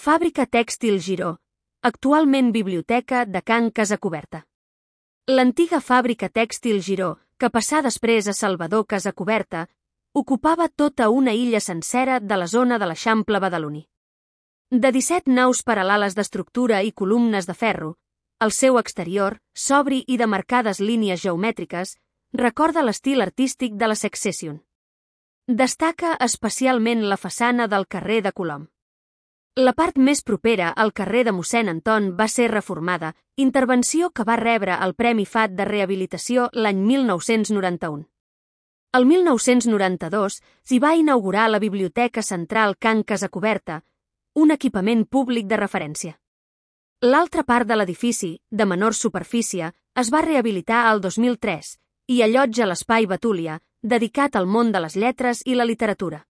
Fàbrica Tèxtil Giró, actualment biblioteca de Can Casacuberta. L'antiga fàbrica tèxtil Giró, que passà després a Salvador Casacuberta, ocupava tota una illa sencera de la zona de l'Eixample badaloní. De 17 naus paral·leles d'estructura i columnes de ferro, el seu exterior, sobri i de marcades línies geomètriques, recorda l'estil artístic de la Succession. Destaca especialment la façana del carrer de Colom. La part més propera al carrer de Mossèn Anton va ser reformada, intervenció que va rebre el Premi FAT de Rehabilitació l'any 1991. El 1992 s'hi va inaugurar la Biblioteca Central Can Casacuberta, un equipament públic de referència. L'altra part de l'edifici, de menor superfície, es va rehabilitar al 2003 i allotja l'Espai Betúlia, dedicat al món de les lletres i la literatura.